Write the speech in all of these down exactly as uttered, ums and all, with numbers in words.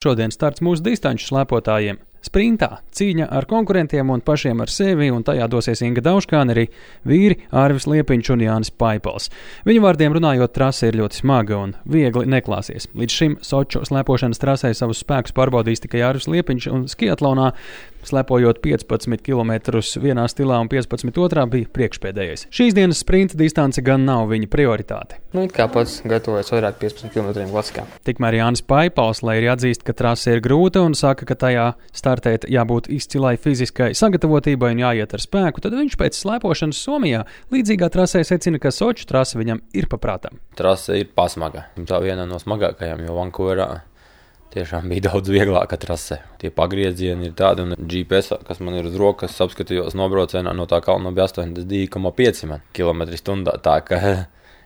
Šodien starts mūsu distanču slēpotājiem. Sprintā cīņa ar konkurentiem un pašiem ar sevi, un tajā dosies Inga Dauškāne, arī vīri Ārvis Liepiņš un Jānis Paipals. Viņu vārdiem runājot, trase ir ļoti smaga un viegli neklāsies. Līdz šim Soču slēpošanas trasē savus spēkus pārbaudījis tikai Ārvis Liepiņš, un skiatlonā, slēpojot piecpadsmit kilometrus vienā stilā un piecpadsmit otrā, bija priekšpēdējais. Šīs dienas sprinta distance gan nav viņa prioritāte. Nu, it kā pats gatavojas vairāk piecpadsmit kilometriem klasikā. Tikmēr Jānis Paipals, lai arī atzīst, ka trase ir grūta un saka, ka tajā startēt jābūt izcilai fiziskai sagatavotībai un jāiet ar spēku, tad viņš pēc slēpošanas Somijā līdzīgā trasē secina, ka Soču trase viņam ir paprātam. Trase ir pasmaga. Tā viena no smagākajām, jo Vankūverā tiešām bija daudz vieglāka trase. Tie pagriezieni ir tādi, un G P S, kas man ir uz rokas, apskatījos nobraucienā no tā kalna bija astoņdesmit divi komats pieci kilometri stundā. Tā ka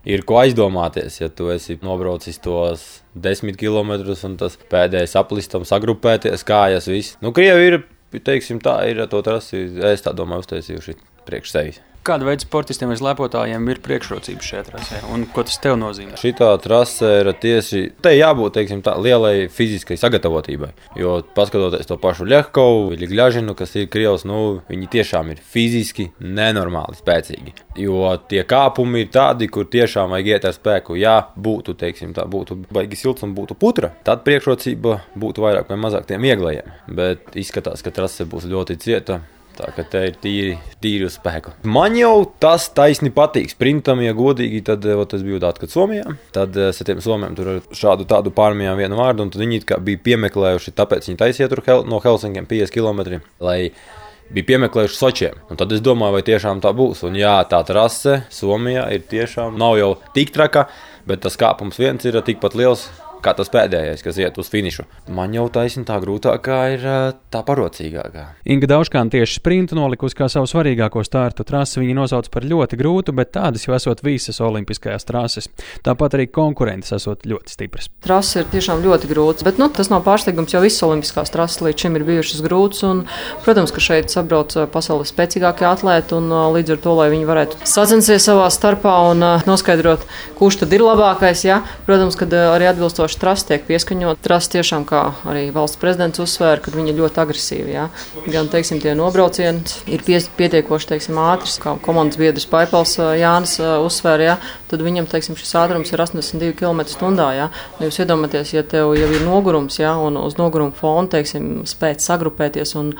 ir ko aizdomāties, ja tu esi nobraucis tos desmit kilometrus un tas pēdējais aplistam sagrupēties, kājas viss. Nu, Krievi ir, teiksim tā, ir to trasi, es tā domāju, uztaisījuši priekš sevis. Kāda veida sportistiem vai slēpotājiem ir priekšrocības šajā trasē, un ko tas tev nozīmē? Šitā trase ir tieši, te jābūt, teiksim tā, lielai fiziskai sagatavotībai, jo paskatoties to pašu Ļehkovu, Ļežinu, kas ir Krievs, nu, viņi tiešām ir fiziski nenormāli spēcīgi, jo tie kāpumi ir tādi, kur tiešām vajag iet ar spēku. Ja būtu, teiksim tā, būtu baigi silts un būtu putra, tad priekšrocība būtu vairāk vai mazāk tiem vieglajiem, bet izskatās, ka trase būs ļoti cieta. Tā ka te ir tīri, tīri uz spēku. Man jau tas taisni patīk. Sprintam, ja godīgi, tad es biju atkārt Somijā. Tad es ar tiem somiem tur ar šādu tādu pārmijām vienu vārdu, un tad viņi kā bija piemeklējuši, tāpēc viņi taisīja tur hel, no Helsinkiem piecdesmit kilometri, lai bija piemeklējuši Sočiem. Un tad es domāju, vai tiešām tā būs. Un jā, tā trase Somijā ir tiešām, nav jau tik traka, bet tas kāpums viens ir tikpat liels, kā tas pēdējais, kas iet uz finišu. Man jau taisni tā grūtākā ir tā parocīgākā. Inga Dauškāne tieši sprintu nolikusi kā savu svarīgāko startu trasi. Viņa nosauc par ļoti grūtu, bet tādas jau esot visas olimpiskajās trases. Tāpat arī konkurences esot ļoti stipras. Trase ir tiešām ļoti grūts, bet nu, tas nav pārsteigums, jo visas olimpiskās trases līdz šim ir bijušas grūtas. Un, protams, ka šeit sabrauc pasaules spēcīgākie atlēti, un līdz ar to, lai viņi varētu sacensties savā starpā un noskaidrot, kurš tad ir labākais. Ja? Protams, kad arī atbilstoši trasa tiek pieskaņot. Trasa tiešām, kā arī valsts prezidents uzsvēra, kad viņi ir ļoti agresīvi. Jā. Gan, teiksim, tie nobraucieni ir pietiekoši, teiksim, ātrs, kā komandas biedrs Paipals Jānis uzsvēra, jā, tad viņam, teiksim, šis ātrums ir astoņdesmit divi kilometri stundā, jā. Jūs iedomāties, ja tev jau ir nogurums, jā, un uz noguruma fona, teiksim, spēt sagrupēties un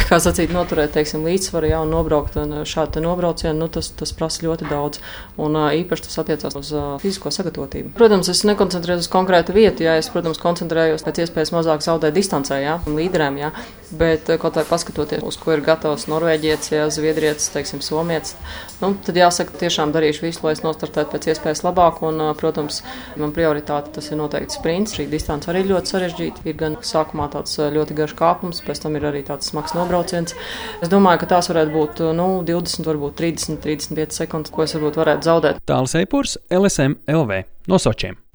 kā sacīt, noturēt, teiksim, līdzsvaru, jā, un nobraukt un šādu nobraucienu, nu, tas, tas prasa ļoti daudz. Un īpaši tas attiecās uz uh, fizisko sagatavotību. Protams, es nekoncentrējos uz konkrētu vietu, jā, es, protams, koncentrējos pēc iespējas mazāk zaudēt distancē, jā, un līderēm, jā, bet kaut vai paskatoties, uz ko ir gatavs norvēģietis, jā, zviedrietis, teiksim, somietis, nu, tad jāsaka, tiešām darīšu visu, lai es nostartētu pēc iespējas labāk, un, uh, protams, man prioritāte tas ir noteikti sprints. Šī distance arī ļoti sarežģīta, ir gan sākumā tāds ļoti garš kāpums, pēc tam ir arī tāds smags nobrauciens. Es domāju, ka tās varētu būt nu, divdesmit, varbūt trīsdesmit, trīsdesmit pieci sekundes, ko es varbūt varētu zaudēt. Tālis Eipurs, L S M L V no Sočiem.